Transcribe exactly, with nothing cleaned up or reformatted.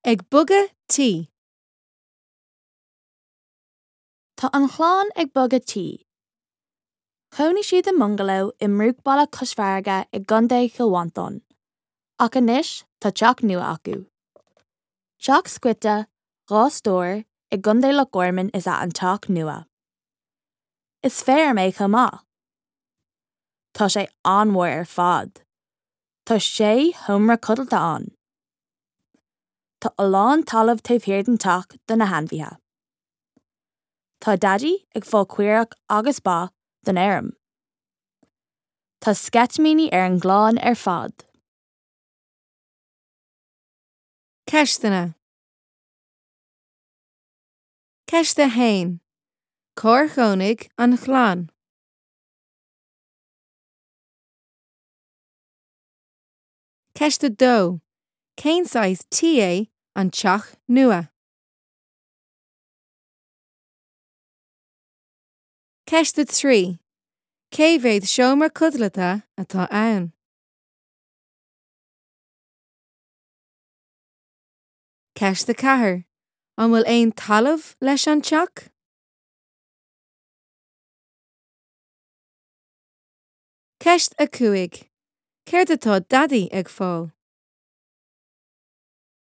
Ag bogadh tí. Tá an chlann ag bogadh tí. Chónaigh siad i mbungaló i mbruachbhaile cois farraige i gContae Chill Mhantáin, ach anois tá teach nua acu. Teach scoite, dhá stór i gContae Loch Garman is ea an teach nua. Is feirm é chomh maith. Tá sé an-mhór ar fad. Tá sé sheomra codlata ann. Tá a lán talaimh taobh thiar den teach do na hainmhithe. Tá Daidí ag fáil caorach agus ba don fheirm. Tá sceitimíní ar an gclann ar fad. Ceisteanna. Ceist a haon. Cár chónaigh an chlann? Ceist a dó. Cén saghas tí é an teach nua? Ceist a trí. Cé mhéad seomra codlata atá ann? Ceist a ceathair. An bhfuil aon talamh leis an teach? Ceist a cúig. Céard atá Daidí ag fáil?